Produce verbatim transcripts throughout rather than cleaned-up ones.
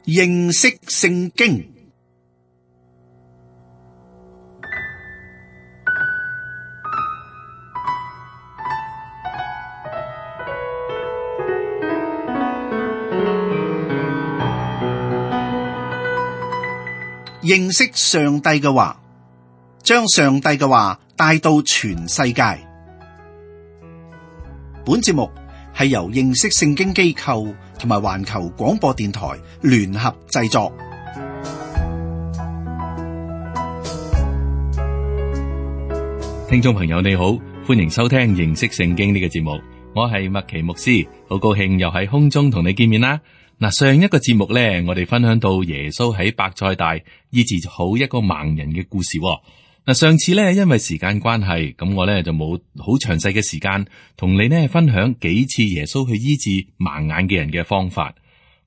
認識聖經。認識上帝嘅話，將上帝嘅話帶到全世界。本節目係由認識聖經機構同埋環球廣播電台聯合製作。聽眾朋友你好，歡迎收聽認識聖經呢個節目，我係麥奇牧師，好高興又喺空中同你見面啦。嗱，上一個節目咧，我哋分享到耶穌喺伯賽大醫治好一個盲人嘅故事。嗱，上次咧因為時間關係，咁我咧就冇好詳細嘅時間同你呢分享幾次耶穌去醫治盲眼嘅人嘅方法。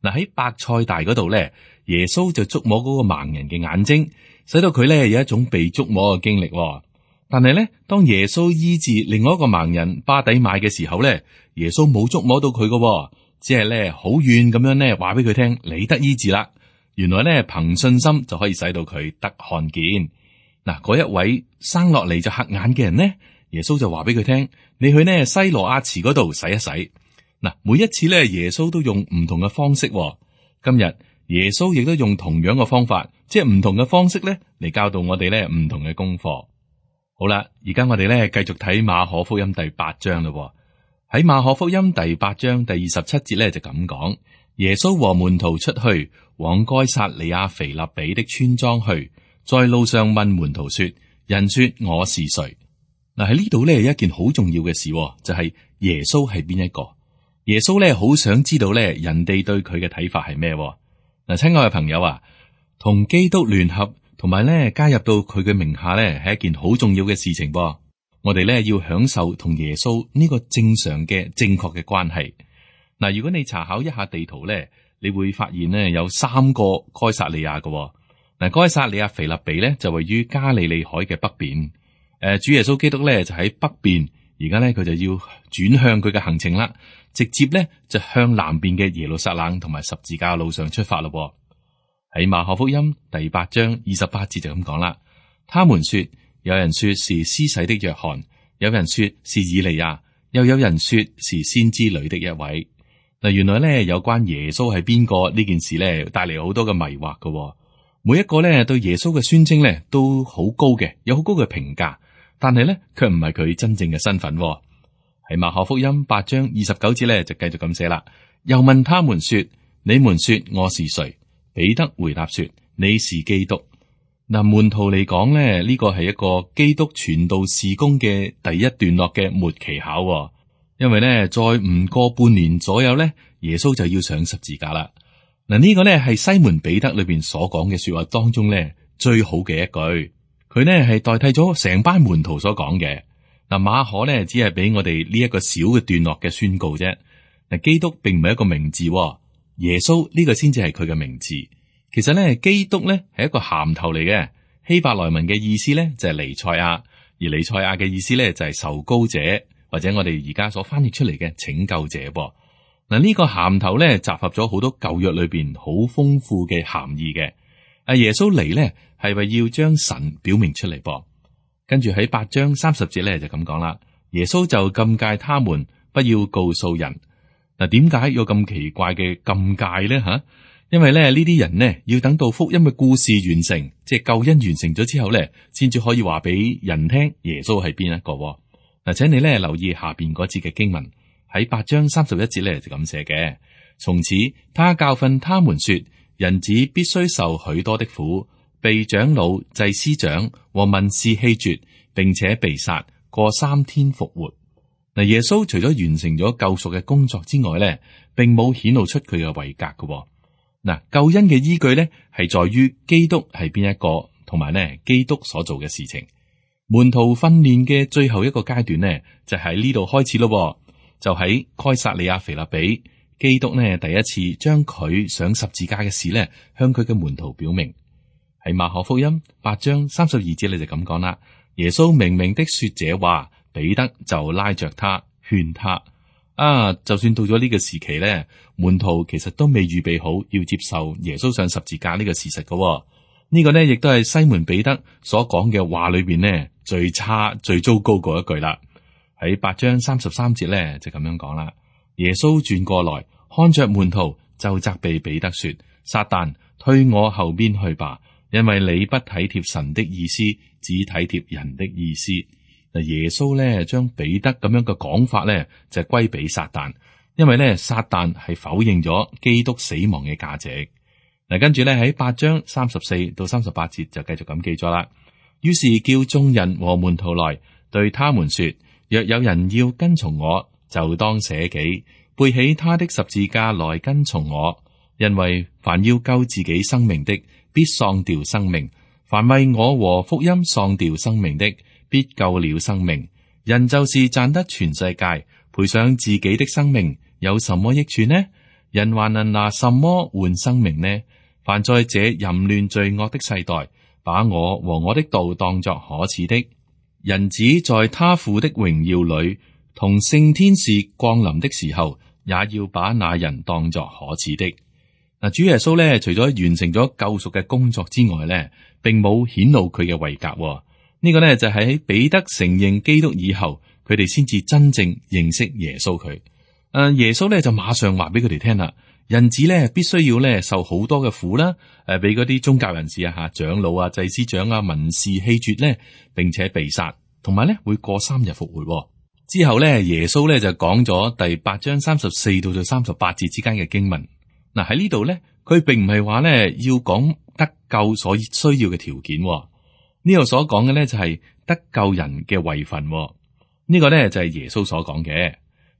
嗱，喺伯賽大嗰度咧，耶穌就觸摸嗰個盲人嘅眼睛，使到佢咧有一種被觸摸嘅經歷。但係咧，當耶穌醫治另外一個盲人巴底買嘅時候咧，耶穌冇觸摸到佢嘅。只係咧好遠咁樣咧話俾佢聽，你得醫治啦。原來咧憑信心就可以使到佢得看見。嗱，嗰一位生落嚟就瞎眼嘅人呢，耶穌就話俾佢聽，你去呢西羅亞池嗰度洗一洗。嗱，每一次咧耶穌都用唔同嘅方式。今日耶穌亦都用同樣嘅方法，即係唔同嘅方式咧嚟教導我哋咧唔同嘅功課。好啦，而家我哋咧繼續睇馬可福音第八章啦。喺馬可福音第八章第二十七節咧就咁講，耶穌和門徒出去往該撒利亞腓立比的村莊去，在路上問門徒說：人說我是誰？嗱，喺呢度咧有一件好重要嘅事，就係耶穌係邊一個？耶穌咧好想知道咧人哋對佢嘅睇法係咩？嗱，親愛嘅朋友啊，同基督聯合，同埋咧加入到佢嘅名下咧，係一件好重要嘅事情噃。我哋咧要享受同耶穌呢個正常嘅正確嘅關係。嗱，如果你查考一下地圖咧，你會發現咧有三個該撒利亞嘅。嗱，該撒利亞腓立比咧就位於加利利海嘅北邊。誒，主耶穌基督咧就喺北邊，而家咧佢就要轉向佢嘅行程啦，直接咧就向南邊嘅耶路撒冷同埋十字架路上出發咯。喺馬可福音第八章二十八節就咁講啦，他們說。有人說是施洗的約翰，有人說是以利亞，又有人說是先知裏的一位。嗱，原來咧有關耶穌係邊個呢件事咧，帶嚟好多嘅迷惑嘅。每一個咧對耶穌嘅宣稱咧都好高嘅，有好高嘅評價，但係咧卻唔係佢真正嘅身份。喺馬可福音八章二十九節咧就繼續咁寫啦。又問他們說：你們說我是誰？彼得回答說：你是基督。嗱，門徒嚟講咧，呢個係一個基督傳道事工嘅第一段落嘅末期考，因為咧再唔過半年左右咧，耶穌就要上十字架啦。嗱，呢個咧係西門彼得裏邊所講嘅說話當中咧最好嘅一句，佢咧係代替咗成班門徒所講嘅。嗱，馬可咧只係俾我哋呢一個小嘅段落嘅宣告啫。嗱，基督並唔係一個名字，耶穌呢個先至係佢嘅名字。其實咧，基督咧係一個銜頭嚟嘅，希伯來文嘅意思咧就係彌賽亞，而彌賽亞嘅意思咧就係受膏者，或者我哋而家所翻譯出嚟嘅拯救者噃。嗱，呢個銜頭咧集合咗好多舊約裏邊好豐富嘅含義嘅。阿耶穌嚟咧係為要將神表明出嚟噃。跟住喺八章三十節咧就咁講啦，耶穌就禁戒他們不要告訴人。嗱，點解有咁奇怪嘅禁戒咧？吓？因為咧呢啲人呢，要等到福音嘅故事完成，即係救恩完成咗之後咧，先至可以話俾人聽耶穌係邊一個。嗱，請你咧留意下邊嗰節嘅經文，喺八章三十一節咧就咁寫嘅。從此他教訓他們說，人子必須受許多的苦，被長老、祭司長和文士棄絕，並且被殺，過三天復活。嗱，耶穌除咗完成咗救贖嘅工作之外咧，並冇顯露出佢嘅位格嘅。嗱，救恩嘅依據咧，係在於基督係邊一個，同埋咧基督所做嘅事情。門徒訓練嘅最後一個階段呢，就喺呢度開始咯。就喺該撒利亞腓立比，基督呢第一次將佢上十字架嘅事咧，向佢嘅門徒表明。喺馬可福音八章三十二節，你就咁講啦。耶穌明明的說這話，彼得就拉着他勸他。啊，就算到咗呢個時期咧，門徒其實都未預備好要接受耶穌上十字架呢個事實嘅、哦。呢、這個呢，亦都係西門彼得所講嘅話裏邊呢，最差最糟糕嗰一句啦。喺八章三十三節咧就咁樣講啦。耶穌轉過來看着門徒，就責備彼得說：撒旦，退我後邊去吧，因為你不體貼神的意思，只體貼人的意思。嗱，耶穌咧將彼得咁樣嘅講法咧就歸俾撒旦，因為咧撒旦係否認咗基督死亡嘅價值。嗱，跟住咧喺八章三十四到三十八節就繼續咁記咗啦。於是叫眾人和門徒來，對他們說：若有人要跟從我，就當捨己，背起他的十字架來跟從我。因為凡要救自己生命的，必喪掉生命；凡為我和福音喪掉生命的，必救了生命。人就是賺得全世界，賠上自己的生命，有什麼益處呢？人還能拿什麼換生命呢？凡在這淫亂罪惡的世代，把我和我的道當作可恥的，人子在他父的榮耀裏，同聖天使降臨的時候，也要把那人當作可恥的。嗱，主耶穌咧，除咗完成咗救贖嘅工作之外咧，並冇顯露佢嘅位格。呢個咧就係喺彼得承認基督以後，佢哋先至真正認識耶穌佢。誒，耶穌咧就馬上話俾佢哋聽啦。人子咧必須要咧受好多嘅苦啦，誒，俾嗰啲宗教人士啊、吓長老啊、祭司長啊、文士棄絕咧，並且被殺，同埋咧會過三日復活。之後咧，耶穌咧就講咗第八章三十四到到三十八節之間嘅經文。嗱，喺呢度咧，佢並唔係話咧要講得救所需要嘅條件。呢度所講嘅咧就係得救人嘅位份。呢個咧就係耶穌所講嘅。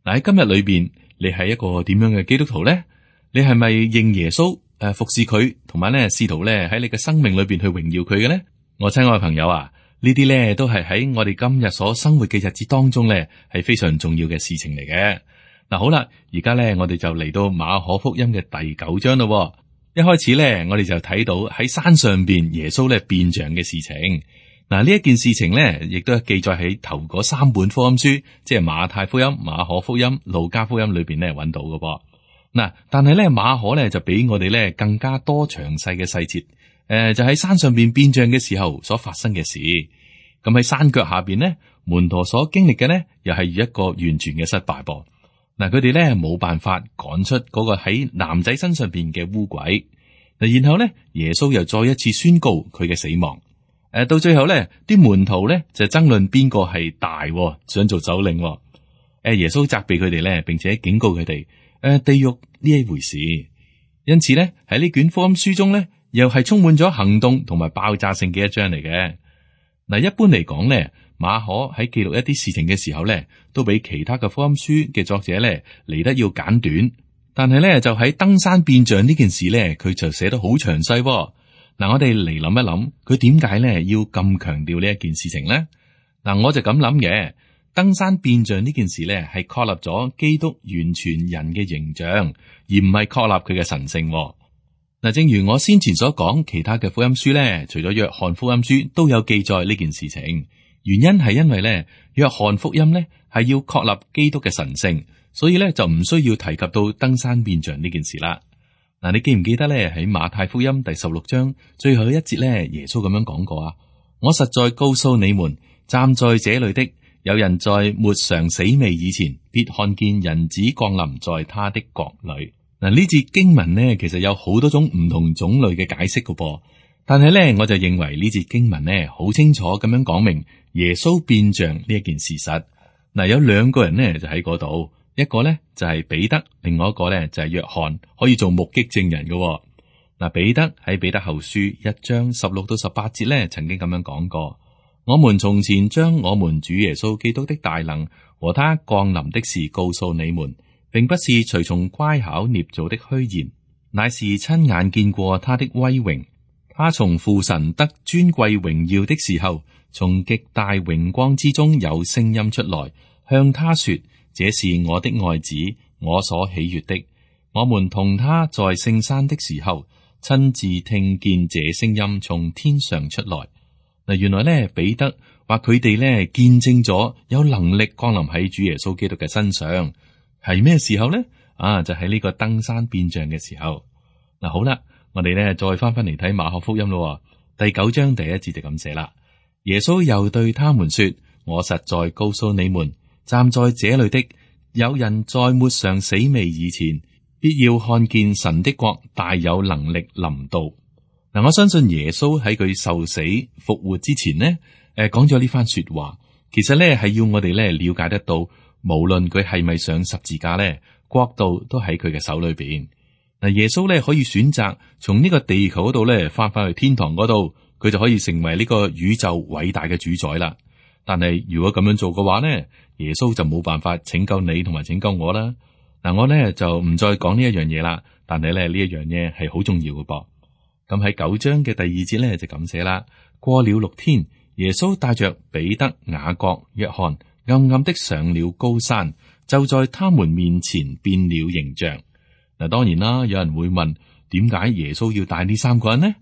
嗱，喺今日裏邊，你係一個點樣嘅基督徒咧？你係咪認耶穌誒服侍佢，同埋咧試圖咧喺你嘅生命裏邊去榮耀佢嘅咧？我親愛嘅朋友啊，呢啲咧都係喺我哋今日所生活嘅日子當中咧係非常重要嘅事情嚟嘅。嗱，好啦，而家咧我哋就嚟到馬可福音嘅第九章咯。一開始咧，我哋就睇到喺山上邊耶穌咧變像嘅事情。嗱，呢一件事情咧，亦都係記載喺頭嗰三本福音書，即係馬太福音、馬可福音、路加福音裏邊咧揾到嘅噃。嗱，但係咧馬可咧就比我哋咧更加多詳細嘅細節，誒、呃，就喺山上邊變像嘅時候所發生嘅事。咁喺山腳下邊咧，門徒所經歷嘅咧，又係一個完全嘅失敗噃。嗱，佢哋咧冇辦法趕出嗰個喺男仔身上邊嘅污鬼。嗱，然後咧耶穌又再一次宣告佢嘅死亡。誒，到最後咧，啲門徒咧就爭論邊個係大，想做首領。誒，耶穌責備佢哋咧，並且警告佢哋。誒，地獄呢一回事，因此咧喺呢卷福音書中咧，又係充滿咗行動同埋爆炸性嘅一章嚟嘅。嗱，一般嚟講咧，馬可喺記錄一啲事情嘅時候咧，都比其他嘅福音書嘅作者咧嚟得要簡短。但係咧就喺登山變像呢件事咧，佢就寫得好詳細。嗱，我哋嚟諗一諗，佢點解咧要咁強調呢一件事情咧？嗱，我就咁諗嘅。登山變像呢件事咧，係確立咗基督完全人嘅形象，而唔係確立佢嘅神性。嗱，正如我先前所講，其他嘅福音書咧，除咗約翰福音書都有記載呢件事情。原因係因為咧，約翰福音咧係要確立基督嘅神性，所以咧就唔需要提及到登山變像呢件事啦。嗱，你記唔記得咧喺馬太福音第十六章最後一節咧，耶穌咁樣講過啊？我實在告訴你們，站在這裏的，有人在沒嘗死味以前，必看見人子降臨在他的國裏。嗱，呢節經文呢，其實有好多種唔同種類嘅解釋㗎噃，但係咧，我就認為呢節經文呢，好清楚咁樣講明耶穌變像呢一件事實。嗱，有兩個人呢，就喺嗰度，一個呢，就係彼得，另外一個呢，就係約翰，可以做目擊證人嘅。嗱，彼得喺彼得後書一章十六到十八節呢，曾經咁樣講過。我們從前將我們主耶穌基督的大能和他降臨的事告訴你們，並不是隨從乖巧捏造的虛言，乃是親眼見過他的威榮。他從父神得尊貴榮耀的時候，從極大榮光之中有聲音出來，向他說：這是我的愛子，我所喜悅的。我們同他在聖山的時候，親自聽見這聲音從天上出來。嗱，原來咧，彼得話佢哋咧見證咗有能力降臨喺主耶穌基督嘅身上，係咩時候呢？啊，就喺呢個登山變像嘅時候。嗱，好啦，我哋咧再翻翻嚟睇馬可福音咯。第九章第一節就咁寫啦。耶穌又對他們說：我實在告訴你們，站在這裏的，有人在沒嘗死味以前，必要看見神的國大有能力臨到。嗱，我相信耶穌喺佢受死復活之前呢，誒講咗呢番說話，其實咧係要我哋咧了解得到，無論佢係咪上十字架咧，國度都喺佢嘅手裏邊。嗱，耶穌咧可以選擇從呢個地球嗰度咧翻返去天堂嗰度，佢就可以成為呢個宇宙偉大嘅主宰啦。但係如果咁樣做嘅話呢，耶穌就冇辦法拯救你同埋拯救我啦。嗱，我咧就唔再講呢一樣嘢啦。但係咧呢一樣嘢係好重要嘅噃。咁喺九章嘅第二節咧就咁寫啦。過了六天，耶穌帶着彼得、雅各、約翰，暗暗的上了高山，就在他們面前變了形象。嗱，當然啦，有人會問，點解耶穌要帶呢三個人呢？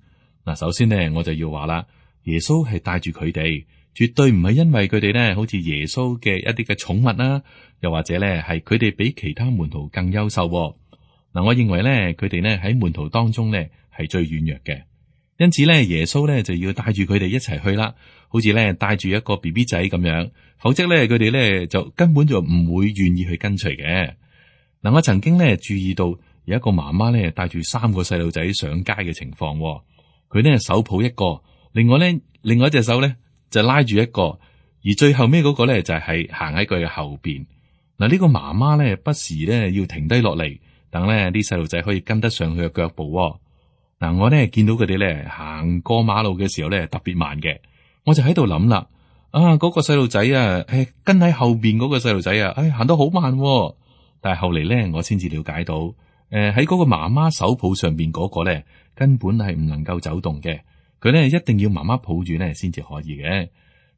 嗱，首先呢，我就要話啦，耶穌係帶住佢哋，絕對唔係因為佢哋呢好似耶穌嘅一啲嘅寵物啦，又或者呢係佢哋比其他門徒更優秀。嗱，我認為呢，佢哋呢喺門徒當中呢係最軟弱嘅，因此呢，耶穌呢就要帶住佢哋一齊去啦，好似呢帶住一個 B B 仔咁樣，否則呢，佢哋呢就根本就唔會願意去跟隨嘅。嗱，我曾經咧注意到有一個媽媽咧帶住三個細路仔上街嘅情況，佢咧手抱一個，另外咧另外一隻手咧就拉住一個，而最後尾嗰個咧就係行喺佢嘅後邊。嗱，呢個媽媽咧不時咧要停低落嚟，等咧啲細路仔可以跟得上佢嘅腳步。嗱，我咧見到佢哋咧行過馬路嘅時候咧特別慢嘅，我就喺度諗啦，啊嗰個細路仔啊，誒跟喺後邊嗰個細路仔啊，誒行得好慢。但係後嚟咧，我先至了解到，誒喺嗰個媽媽手抱上邊嗰個咧，根本係唔能夠走動嘅。佢咧一定要媽媽抱住咧，先至可以嘅。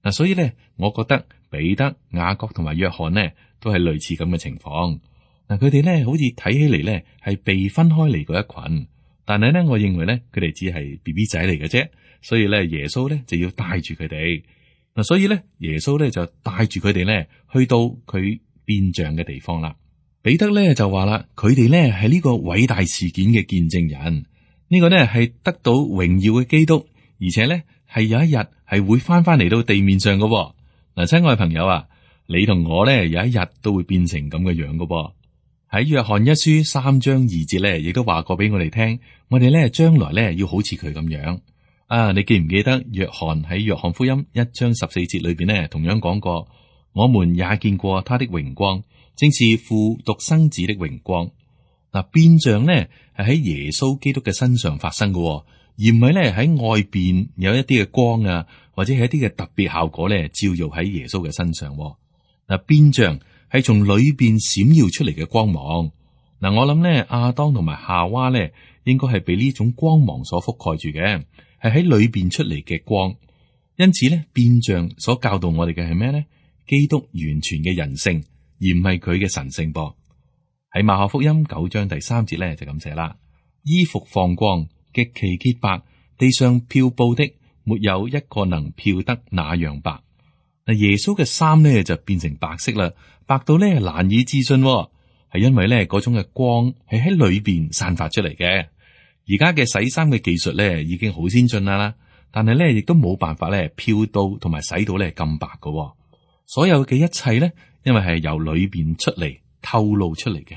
嗱，所以咧，我覺得彼得、雅各同埋約翰呢，都係類似咁嘅情況。嗱，佢哋咧好似睇起嚟咧係被分開嚟嗰一群，但係咧，我認為咧佢哋只係 B B 仔嚟嘅啫。所以咧，耶穌咧就要帶住佢哋。嗱，所以咧，耶穌咧就帶住佢哋咧去到佢變像嘅地方啦。彼得咧就話啦，佢哋咧係呢個偉大事件嘅見證人，呢個咧係得到榮耀嘅基督，而且咧係有一日係會翻翻嚟到地面上嘅。嗱，親愛嘅朋友啊，你同我咧有一日都會變成咁嘅樣嘅。喺約翰一書三章二節咧，亦都話過俾我哋聽，我哋咧將來咧要好似佢咁樣啊！你記唔記得約翰喺約翰福音一章十四節裏邊咧，同樣講過，我們也見過他的榮光，正是父獨生子的榮光。嗱，變像咧係喺耶穌基督嘅身上發生嘅，而唔係咧喺外邊有一啲嘅光啊，或者係一啲嘅特別效果咧照耀喺耶穌嘅身上。嗱，變像係從裏邊閃耀出嚟嘅光芒。嗱，我諗咧亞當同埋夏娃咧應該係被呢種光芒所覆蓋住嘅，係喺裏邊出嚟嘅光。因此咧，變像所教導我哋嘅係咩咧？基督完全嘅人性，而唔係佢嘅神性噃。喺馬可福音九章第三節咧就咁寫啦：衣服放光，極其潔白，地上漂布的沒有一個能漂得那樣白。嗱，耶穌嘅衫咧就變成白色啦，白到咧難以置信，係因為咧嗰種嘅光係喺裏邊散發出嚟嘅。而家嘅洗衫嘅技術咧已經好先進啦，但係咧亦都冇辦法咧漂到同埋洗到咧咁白㗎。所有嘅一切咧，因為係由裏邊出嚟透露出嚟嘅。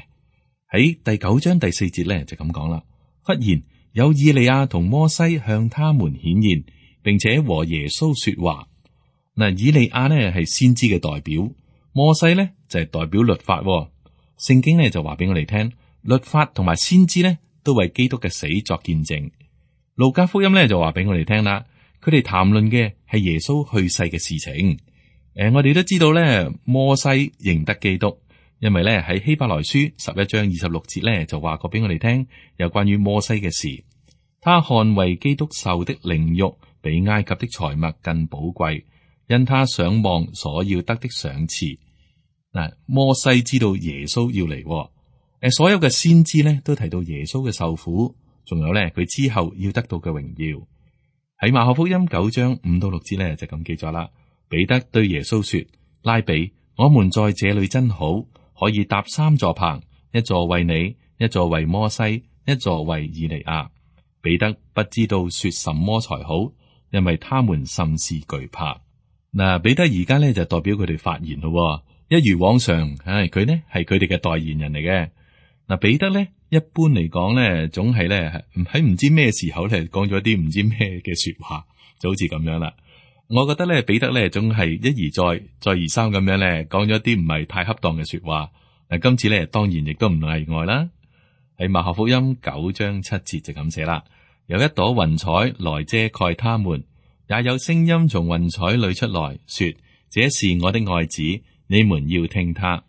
喺第九章第四節咧就咁講啦。忽然有以利亞同摩西向他們顯現，並且和耶穌說話。嗱，以利亞呢係先知嘅代表，摩西呢就係代表律法。聖經呢就話俾我哋聽，律法同埋先知呢都為基督嘅死作見證。路加福音呢就話俾我哋聽啦，佢哋談論嘅係耶穌去世嘅事情。誒、呃，我哋都知道咧，摩西認得基督，因為咧喺希伯來書十一章二十六節咧就話過俾我哋聽，有關於摩西嘅事。他看為基督受的凌辱，比埃及的財物更寶貴，因他想望所要得的賞賜。嗱，摩西知道耶穌要嚟，誒，所有嘅先知咧都提到耶穌嘅受苦，仲有咧佢之後要得到嘅榮耀。喺馬可福音九章五到六節咧就咁記咗啦。彼得對耶穌說：拉比，我們在這裏真好，可以搭三座棚，一座為你，一座為摩西，一座為以利亞。彼得不知道說什麼才好，因為他們甚是懼怕。嗱，彼得而家咧就代表佢哋發言咯，一如往常，唉，佢呢係佢哋嘅代言人嚟嘅。嗱，彼得咧一般嚟講咧，總係咧喺唔知咩時候咧講咗啲唔知咩嘅說話，就好似咁樣啦。我覺得咧彼得咧總係一而再，再而三咁樣咧講咗啲唔係太恰當嘅說話。嗱，今次咧當然亦都唔例外啦。喺馬可福音九章七節就咁寫啦，有一朵雲彩來遮蓋他們，也有聲音從雲彩裏出來說：這是我的愛子，你們要聽他。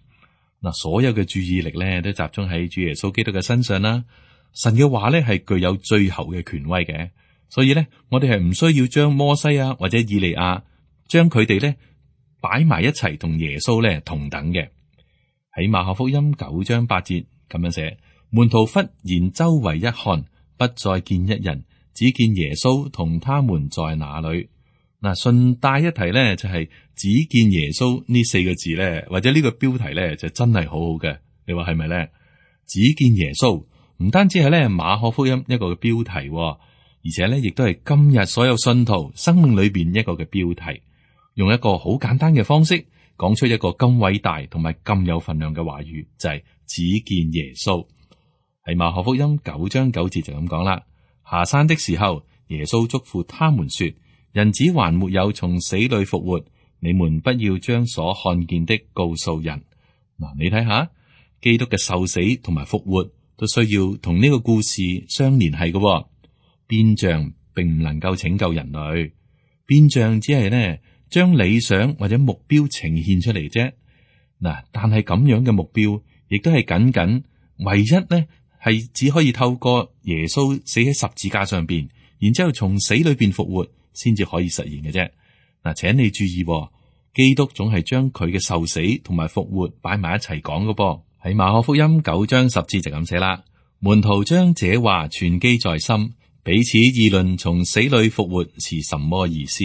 嗱，所有嘅注意力咧都集中喺主耶穌基督嘅身上啦。神嘅話咧係具有最後嘅權威嘅，所以咧我哋係唔需要將摩西啊或者以利亞將佢哋咧擺埋一齊同耶穌咧同等嘅。喺馬可福音九章八節咁樣寫，門徒忽然周圍一看，不再見一人，只見耶穌同他們在那裏。嗱，順帶一提咧，就係、是、只見耶穌呢四個字咧，或者呢個標題咧，就真係好好嘅。你話係咪咧？只見耶穌唔單止係咧馬可福音一個嘅標題，而且咧亦都係今日所有信徒生命裏邊一個嘅標題，用一個好簡單嘅方式講出一個咁偉大同埋咁有分量嘅話語，就係、是、只見耶穌。喺馬可福音九章九節就咁講啦。下山的時候，耶穌囑咐他們說：人子還沒有從死裏復活，你們不要將所看見的告訴人。嗱，你睇下，基督嘅受死同埋復活都需要同呢個故事相連繫嘅。變像並唔能夠拯救人類，變像只係呢將理想或者目標呈現出嚟啫。嗱，但係咁樣嘅目標，亦都係僅僅唯一呢。係只可以透過耶穌死喺十字架上邊，然之後從死裏邊復活，先至可以實現嘅啫。嗱，請你注意，基督總係將佢嘅受死同埋復活擺埋一齊講嘅噃。喺馬可福音九章十節就咁寫啦，門徒將這話存記在心，彼此議論從死裏復活是什麼意思。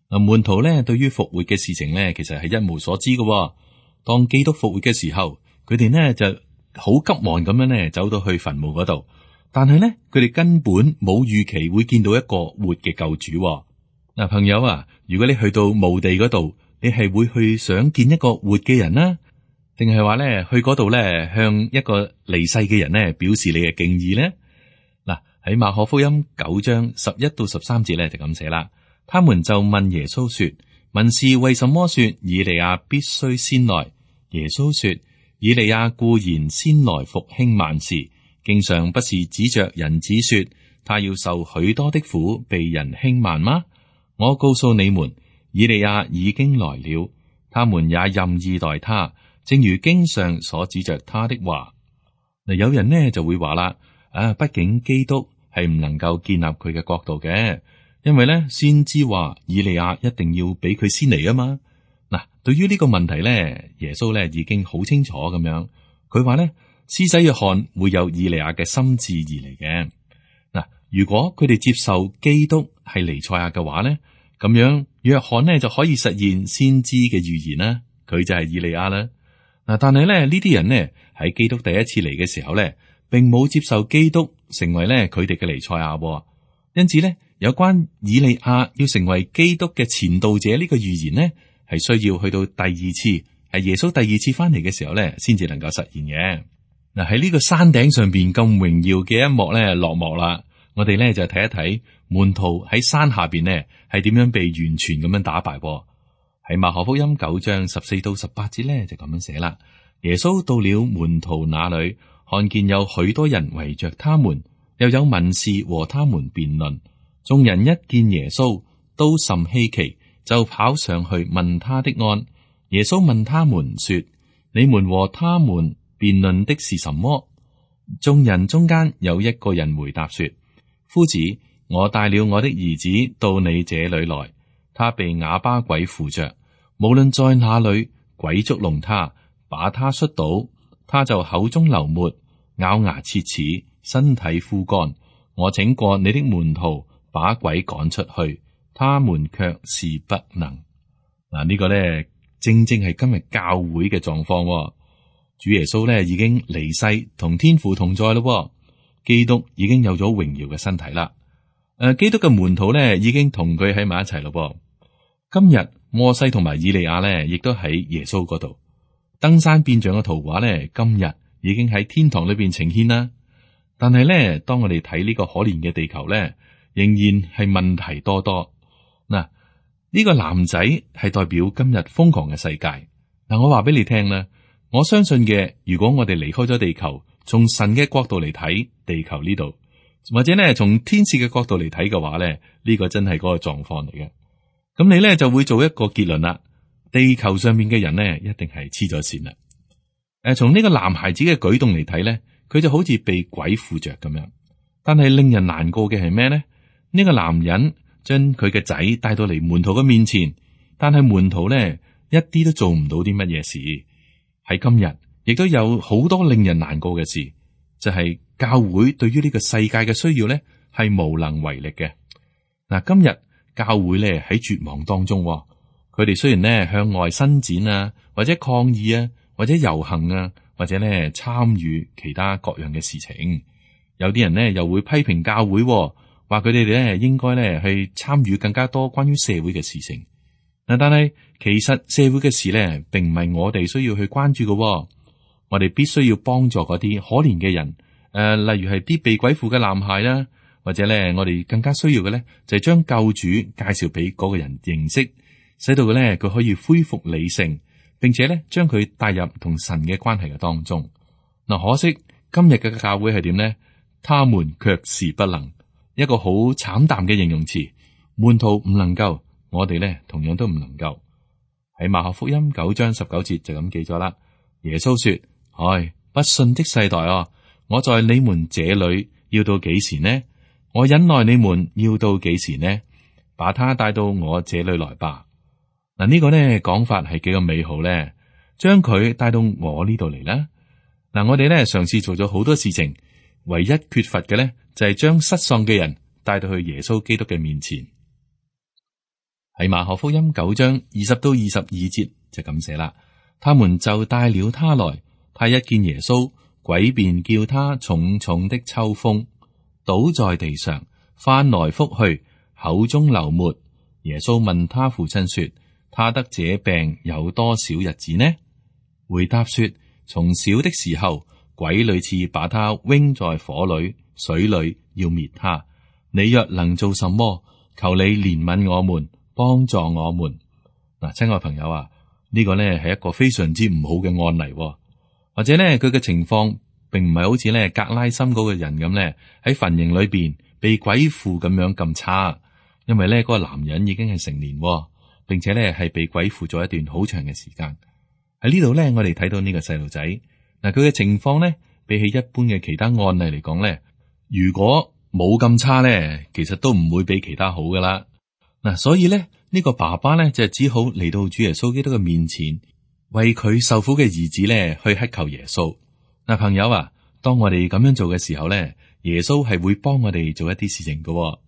嗱，門徒咧對於復活嘅事情咧，其實係一無所知嘅。當基督復活嘅時候，佢哋呢就好急忙咁樣咧，走到去墳墓嗰度，但係咧，佢哋根本冇預期會見到一個活嘅救主。嗱，朋友啊，如果你去到墓地嗰度，你係會去想見一個活嘅人啦，定係話咧去嗰度咧向一個離世嘅人咧表示你嘅敬意咧？嗱，喺馬可福音九章十一到十三節咧就咁寫啦。他們就問耶穌說：文士為什麼說以利亞必須先來？耶穌說：以利亞固然先來復興萬事，經上不是指着人子說他要受許多的苦，被人輕慢嗎？我告訴你們，以利亞已經來了，他們也任意待他，正如經上所指着他的話。嗱，有人呢就會話啦，啊，畢竟基督係唔能夠建立佢嘅國度嘅，因為咧先知話以利亞一定要俾佢先嚟啊嘛。嗱，對於呢個問題咧，耶穌咧已經好清楚咁樣，佢話咧，施洗約翰會有以利亞嘅心志而嚟嘅。嗱，如果佢哋接受基督係彌賽亞嘅話咧，咁樣約翰呢就可以實現先知嘅預言啦，佢就係以利亞啦。嗱，但係咧呢啲人呢喺基督第一次嚟嘅時候咧，並冇接受基督成為咧佢哋嘅彌賽亞，因此咧有關以利亞要成為基督嘅前導者呢個預言呢，係需要去到第二次，係耶穌第二次翻嚟嘅時候咧，先至能夠實現嘅。嗱，喺呢個山頂上邊咁榮耀嘅一幕咧落幕啦，我哋咧就睇一睇門徒喺山下邊呢係點樣被完全咁樣打敗。喺馬可福音九章十四到十八節咧就咁樣寫啦。耶穌到了門徒那裏，看見有許多人圍着他們，又有文士和他們辯論。眾人一見耶穌，都甚稀奇，就跑上去問他的安。耶穌問他們說：你們和他們辯論的是什麼？眾人中間有一個人回答說：夫子，我帶了我的兒子到你這裏來，他被啞巴鬼附着，無論在哪裏，鬼捉弄他，把他摔倒，他就口中流沫，咬牙切齒，身體枯乾。我請過你的門徒把鬼趕出去，他們卻是不能。嗱，呢個咧正正係今日教會嘅狀況。主耶穌咧已經離世，同天父同在咯。基督已經有咗榮耀嘅身體啦。誒，基督嘅門徒咧已經同佢喺埋一齊咯。今日摩西同埋以利亞咧，亦都喺耶穌嗰度。登山變像嘅圖畫咧，今日已經喺天堂裏邊呈現啦。但係咧，當我哋睇呢個可憐嘅地球咧，仍然係問題多多。嗱，呢個男仔係代表今日瘋狂嘅世界。嗱，我話俾你聽啦，我相信嘅，如果我哋離開咗地球，從神嘅角度嚟睇地球呢度，或者咧從天使嘅角度嚟睇嘅話咧，呢個真係嗰個狀況嚟嘅。咁你咧就會做一個結論啦，地球上面嘅人咧一定係黐咗線啦。誒，從呢個男孩子嘅舉動嚟睇咧，佢就好似被鬼附着咁樣。但係令人難過嘅係咩咧？呢個男人將佢嘅仔帶到嚟門徒嘅面前，但係門徒咧一啲都做唔到啲乜嘢事。喺今日亦都有好多令人難過嘅事，就係教會對於呢個世界嘅需要咧係無能為力嘅。嗱，今日教會咧喺絕望當中，佢哋雖然咧向外伸展啊，或者抗議啊，或者遊行啊，或者咧參與其他各樣嘅事情，有啲人咧又會批評教會，話佢哋咧應該咧去參與更加多關於社會嘅事情。嗱，但係其實社會嘅事咧，並唔係我哋需要去關注嘅。我哋必須要幫助嗰啲可憐嘅人，誒、呃，例如係啲被鬼附嘅男孩啦，或者咧，我哋更加需要嘅咧，就係將救主介紹俾嗰個人認識，使到佢咧佢可以恢復理性，並且咧將佢帶入同神嘅關係嘅當中。嗱，可惜今日嘅教會係點呢？他們卻是不能，一個好慘淡嘅形容詞，門徒唔能夠。我哋咧同樣都唔能夠。喺馬可福音九章十九節就咁記咗啦。耶穌說：唉，不信的世代啊，我在你們這裏要到幾時呢？我忍耐你們要到幾時呢？把他帶到我這裏來吧。嗱，呢個呢講法係幾個美好咧，將佢帶到我呢度嚟啦。嗱，我哋咧嘗試做咗好多事情，唯一缺乏嘅咧就係將失喪嘅人帶到去耶穌基督嘅面前。喺馬可福音九章二十到二十二節就咁寫啦，他們就帶了他來，他一見耶穌，鬼便叫他重重的抽風，倒在地上，翻來覆去，口中流沫。耶穌問他父親說：他得這病有多少日子呢？回答說：從小的時候，鬼屢次把他扔在火裏、水裏，要滅他。你若能做什麼，求你憐憫我們，幫助我們。嗱，親愛朋友啊，呢個呢係一個非常之唔好嘅案例，或者呢，佢嘅情況並唔係好似呢格拉森嗰個人咁呢，喺墳塋裏邊被鬼附咁樣咁差，因為呢嗰個男人已經係成年，並且呢係被鬼附咗一段好長嘅時間。喺呢度呢，我哋睇到呢個細路仔，嗱，佢嘅情況呢，比起一般嘅其他案例嚟講呢，如果冇咁差呢，其實都唔會比其他好噶啦。嗱，所以咧，呢個爸爸咧就只好嚟到主耶穌基督嘅面前，為佢受苦嘅兒子咧去乞求耶穌。嗱，朋友啊，當我哋咁樣做嘅時候咧，耶穌係會幫我哋做一啲事情嘅。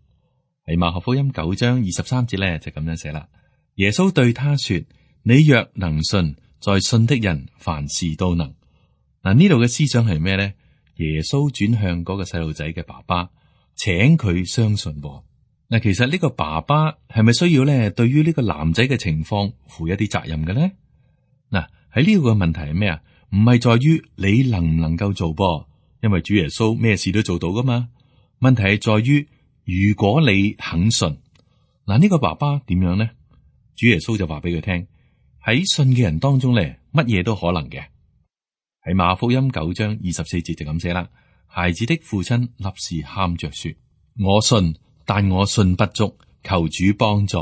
喺馬可福音九章二十三節咧就咁樣寫啦。耶穌對他說：你若能信，在信的人凡事都能。嗱，呢度嘅思想係咩咧？耶穌轉向嗰個細路仔嘅爸爸，請佢相信。嗱，其實呢個爸爸係咪需要咧，對於呢個男仔嘅情況負一啲責任嘅咧？嗱，喺呢個問題係咩啊？唔係在於你能唔能夠做噃，因為主耶穌咩事都做到噶嘛。問題係在於如果你肯信，嗱，呢個爸爸點樣咧？主耶穌就話俾佢聽，喺信嘅人當中咧，乜嘢都可能嘅。喺馬可福音九章二十四節就咁寫啦。孩子的父親立時喊着說：我信。但我信不足，求主幫助。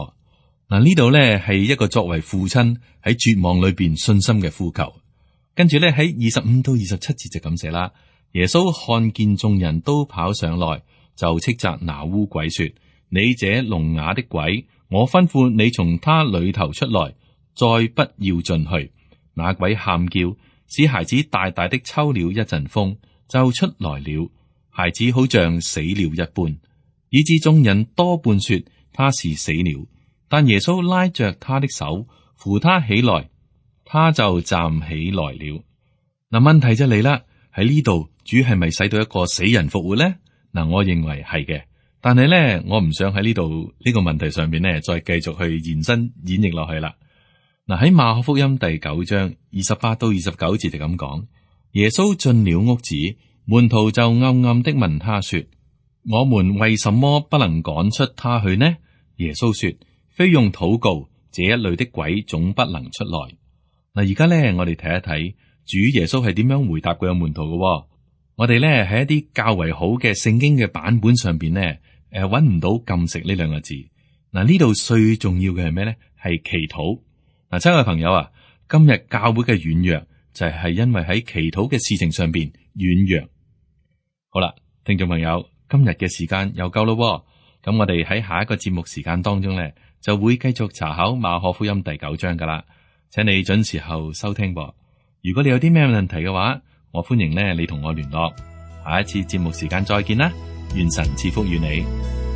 嗱，呢度咧係一個作為父親喺絕望裏邊信心嘅呼求。跟住咧喺二十五到二十七節就咁寫啦。耶穌看見眾人都跑上來，就斥責那污鬼說：你這聾啞的鬼，我吩咐你從他裏頭出來，再不要進去。那鬼喊叫，使孩子大大的抽了一陣風，就出來了。孩子好像死了一般。以致眾人多半說他是死了，但耶穌拉着他的手扶他起來，他就站起來了。嗱，問題就嚟啦，喺呢度主係咪使到一個死人復活咧？嗱，我認為係嘅，但係咧，我唔想喺呢度呢個問題上邊咧，再繼續去延伸演繹落去啦。嗱，喺馬可福音第九章二十八到二十九節就咁講，耶穌進了屋子，門徒就暗暗的問他說：我們為什麼不能趕出他去呢？耶穌說：非用禱告，這一類的鬼總不能出來。嗱，而家咧，我哋睇一睇主耶穌係點樣回答佢嘅門徒嘅。我哋咧喺一啲較為好嘅聖經嘅版本上邊咧，誒，搵唔到禁食呢兩個字。嗱，呢度最重要嘅係咩咧？係祈禱。嗱，親愛嘅朋友啊，今日教會嘅軟弱就係因為喺祈禱嘅事情上邊軟弱。好啦，聽眾朋友，今日嘅時間又夠咯，咁我哋喺下一個節目時間當中咧，就會繼續查考馬可福音第九章噶啦，請你準時候收聽噃。如果你有啲咩問題嘅話，我歡迎咧你同我聯絡。下一次節目時間再見啦，願神賜福與你。